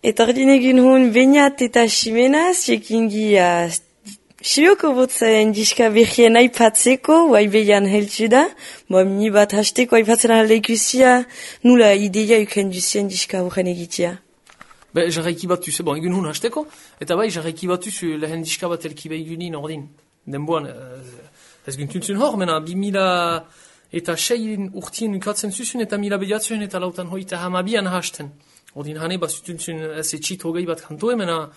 Eta ordin egin hon Beñat eta Ximena, ziekingi sioko botzen diska behien aipatzeko, guai behian heltsu da, mini bat hasteko aipatzen alde ikusia, nula ideia uken duzien diska horren egitea. Jarraiki batu, egun hon hasteko, eta bai, jarraiki batu lehen diska bat elki behigunin ordin. Denboan, ez gintuntzun hor, mena 2000 eta 6 urtien ukatzen zuzun, eta 1000 bediatzen eta lautan hoita hamabian hasten. Ordin hane bat zutuntzun ez etxit hogei bat kantoe, mena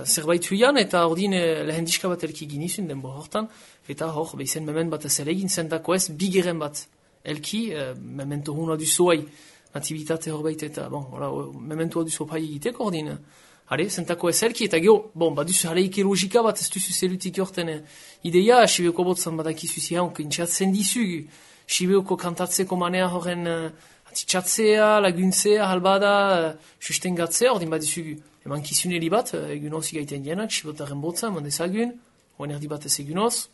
zerbait huian, eta ordin lehen diska bat elki ginizun denbo hortan, eta hor, behizen memen bat ez elegin zentako ez, bigeren bat elki, memento huna duzuai, natibitate horbait eta, mementua duzu pai egiteko ordin, zentako ez elki, eta geho, baduzu haleike logika bat ez duzu zelutik horten ideia, Sibeoko botzan badakizu zihaun, intxatzen dizu, Sibeoko kantatzeko manea horren atitxatzea, laguntzea, halbada, sustengatzea, ordin badizu eman kizuneri bat, egunoz igaiten dienak, Sibotaren botzan, mandezagun, oen erdi bat ez egunoz,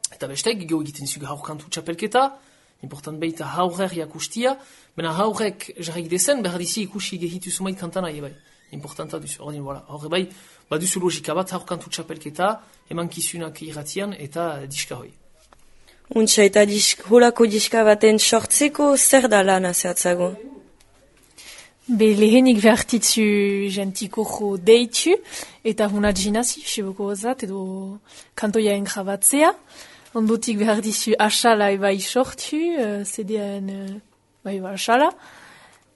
eta bestek, geho egiten zugu haur kantu txapelketa, important behita haurrer jakustia, mena haurrek jarrik dezen, behar dizi ikusi gehitu zumait kantana bai. Importanta duzu, ordin, horre bai, baduzu logika bat, haur kantu txapelketa, eman kizunak irratian, eta diska hoi. Untsa, eta holako diska baten sortzeko, zer da lana zehatzago? Lehenik behartitzu jentiko jo deitu, eta hunat jinazi, Siboko ozat, edo kantoiaen grabatzea. Ondotik behar dizu asala bai sortu, CD-en bai asala,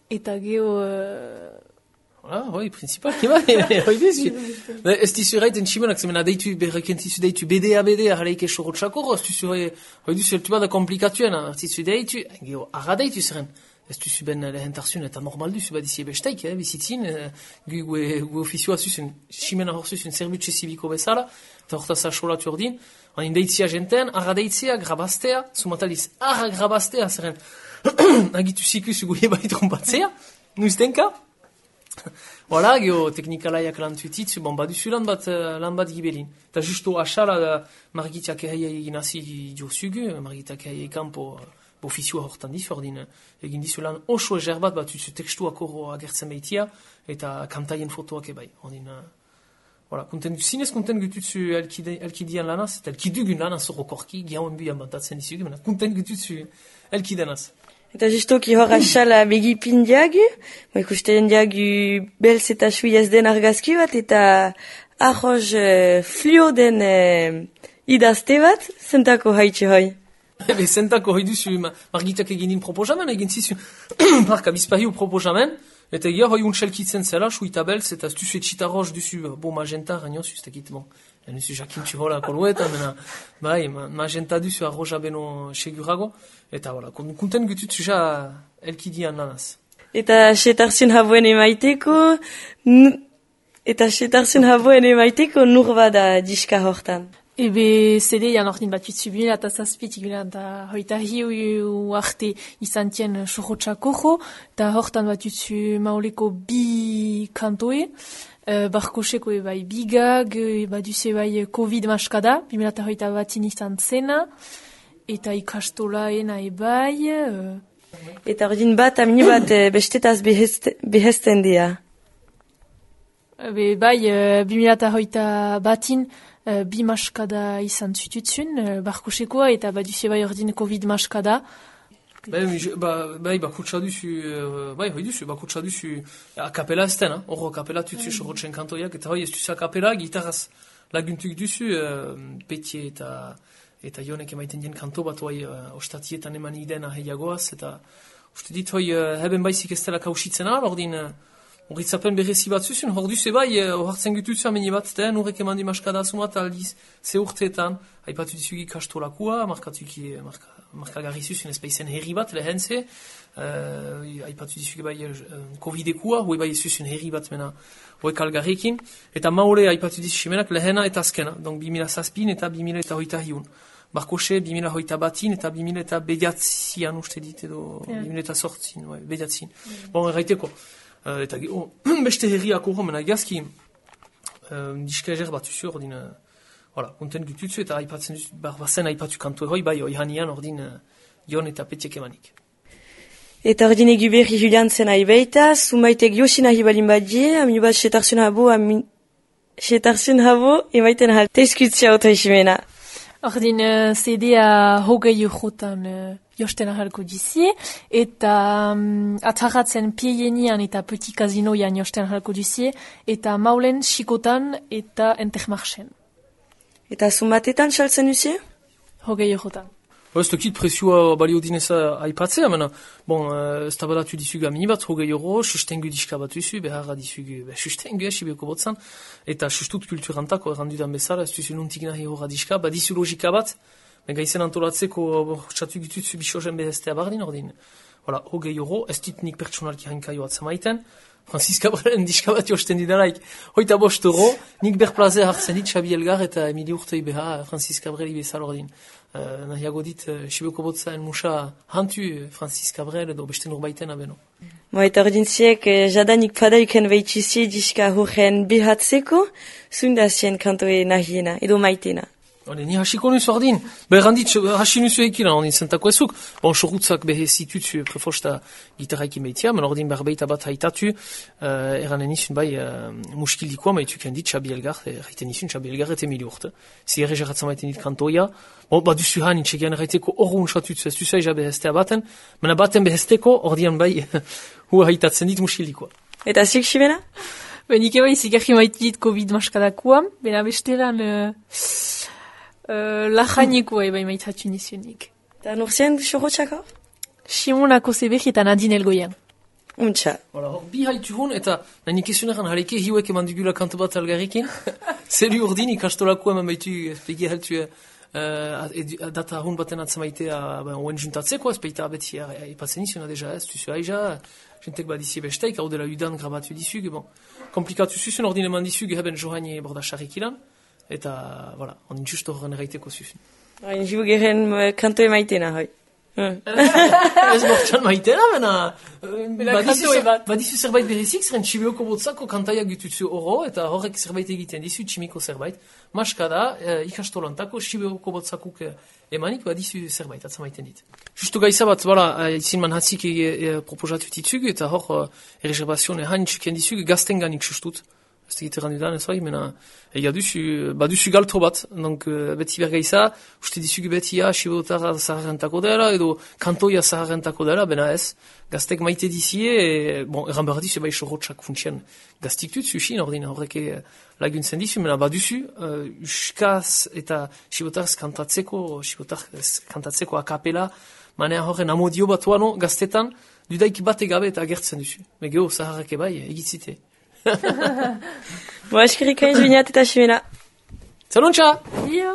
eta geho... hoi, principalki bai, hoi dizu. Ez dizu erraiten tximenak, zemena deitu, berrekentizu deitu BDA, haleike sorotxako, ez dizu hoi dizu eltu bada komplikatuen, artizu deitu, geho, arra deitu zeren. Ez duzu ben lehentarzun eta normal duzu badizie besteik, bizitzin, gu ofizioa zuzun, ximena hor zuzun, zerbutxe zibiko bezala, eta hortaz asolatu ordin, hain deitzia jenten, arra deitzea, grabaztea, sumataliz, arra grabaztea, zeren, agitu zikuzu goie bai trompatzea, nuiztenka, Voilà, geho teknikalaiak lan tuititzu, baduzu lan bat gibelin. Eta justo asala margitiak egin hasi diozugu, margitiak egin kanpo ofizioa hortan dizu, ordin egin dizu lan oso ezer bat duzu tekstuak horro agertzen behitia, eta kantaien fotoak ebai. Ordin, zinez konten gututzu elkidian lanaz, eta elkidugun lanaz horrokorki, giauen buian bantatzen dizugu, mena konten gututzu elkidanaz. Eta justoki hor asala begipin diagu, ikusten diagu belz eta suiez den argazki bat, eta arroz flio den idazte bat, zentako haitxe hoi. Zentako hoi duzu margitak egin proposamen, egin zizu marka bizpahiu proposamen, eta egia hoi untxelkitzen zela, suita belz, eta duzu etxita arroz duzu magenta, gainoz, ez dakit, nuzu jakintxu hola kolueta, bai, magenta duzu arroza beno segurago, eta konten gututzu ja elkidian lanaz. Eta setarzun haboen emaiteko nur bada diska hortan. Ebe CD-an ordin bat jutzu 2007 eta hoita hiu arte izan tien sorotxako jo, eta hortan bat jutzu maoleko bi kantoe, barkoseko ebai bigag, baduze ebai COVID maskada, 2008 batin izan zena, eta ikastolaena ebai... Eta ordin bat, amini bat bestetaz behesten dira. Bai, 2008 batin bi maskada izan zututzun, barkosekoa, eta baduze bai ordin COVID maskada. Bakutsa duzu akapela ezten, horro akapela tutzu sorotzen kantoiak, eta hoi ez duzu akapela, gitarraz laguntuk duzu, Petie eta Jonek emaiten dien kanto bat, hoi ostatietan eman idena heiagoaz, eta uste dit hoi heben baizik ez dela kausitzen al, ordin horritzapen berrezi bat zuzun, hor duzu bai, hartzen gututzu ameni bat, horrek eman di maskada asumat aldiz, ze urteetan, haipatu dizugi kastolakua, markagarri zuzun ez baizen herri bat lehen ze, haipatu dizugi bai COVID-ekua, hoi bai zuzun herri bat mena hoek algarrekin, eta maule haipatu dizumenak lehena eta azkena, donc 2007 eta 2008 Barkose 2008 batin eta 2000 bediatzian uste dit edo 2008 bediatzin. Bon, erraiteko. Eta beste herriak horro mena egazki diska ezer bat usu ordin konten gututzu eta aipatzen bazen aipatu kantu hoi bai hanian ordin Jon eta Petiek emanik. Eta ordin egu berri Julian zen nahi baita, zumaitek Yoshi nahi balin badie, aminu bat setarzun habo, emaiten hal teizkutzia ota isimena. Ordin CD-a hogei eurotan josten ahalko dizie, eta atzarratzen pieienian eta petit casinoian josten ahalko dizie, eta maulen xikotan eta entermarchen. Eta zumatetan saltzen duzie? Hogei eurotan. Ez dakit presioa balio dineza aipatzea, mena, bon, ez tabalatu dizugu amini bat, hogei euro, sustengu diska bat duzu, beharra dizugu, sustengu sibioko botzan, eta sustut kulturantako errandudan bezala, ez duzu nuntik nahi horra diska, badizu logika bat, gaizen antolatzeko txatu gitutzu bisozen behestea bardin, ordin. Voilà, hogei euro, ez dit nik pertsonalki hankaio atzamaiten, Francis Cabrelen diska bat josten didalaik, hoita bost euro, nik berplaze hartzen dit Xabi Elgar eta Emili Urtei beha Francis Cabreli bezala ordin. Nahiago dit, Sibioko botzaen musa hantu Francis Cabrel edo beste nurbaiten abeno. Eta ordin ziek, jadanik padaiken behitxuzie diska horren behatzeko, zundazien kantoe nahiena, edo maitena. Ni hasiko nuzu ordin, berrandit hasi nuzu ekilan ordin zentako ezuk, bon, sorutzak behe zitutzu prefosta gitarraiki meitia, men ordin berbeita bat haitatu, eranen izun bai muskildikoa maituken dit Xabi Elgar, erraiten izun Xabi Elgar eta Emili Urte. Zierre jarratzen maiten dit kantoia, bon, baduzu han itxegian erraiteko orrun satutzu, ez duzu aiza behestea baten, mena baten behesteko ordian bai hua haitatzen dit muskildikoa. Eta zik xibena? Benik eba izigarri maitit COVID maskadakoa, bena besteran lajanikoa eba imaitatu nizionik. Eta nurzien xorotxako? Simonako Zebek eta Nadine Elgoian. Untxa. Bi haitu hon, eta nanik esuneran hareke hiuek eman dugula kanto bat algarrikin. Zelu urdin ikastolako eman baitu pegi haltu data hon baten atzamaitea oen juntatzeko, ez peita beti ipatzen izuna deja, ez duzu aiza, jentek badizie besteik, hau dela udan grabatu dizug, bon. Komplikatu zuzun ordin eman dizug heben johaini borda xarrikilan, eta, voilà, on justo horren erraiteko zuzun. Jibu geren kantoe maitena, hoi. Ez bortxan maitena, mena badizu zerbait berezik, zeren Sibioko botzako kantaia gututzu oro, eta horrek zerbait egiten dizu, tximiko zerbait. Maskada, ikastolantako Sibioko botzakuk emanik badizu zerbait, atzamaiten dit. Justo gaiza bat, izin man hatzik proposatu ditzugu, eta hor erreservazioen hain txuken dizugu, gaztenganik sustut. Ez tegite randudan ez bai, mena baduzu galtro bat, donc beti bergaiza, uste dizugu beti Sibotar zaharrentako dela, edo kantoia zaharrentako dela, bena ez, gaztek maite dizie, bon, erran behar dizu bai sorotxak funtsian gaztik dut zuxin, ordin horreke laguntzen dizu, mena baduzu, uskaz eta Sibotar kantatzeko akapela, manea horren amodio bat wano gaztetan, dudaik bate gabe eta agertzen duzu. Megeo zaharreke bai, egitzite. Eskerrik aiz bineat eta ximena. Zalontxa! Dio!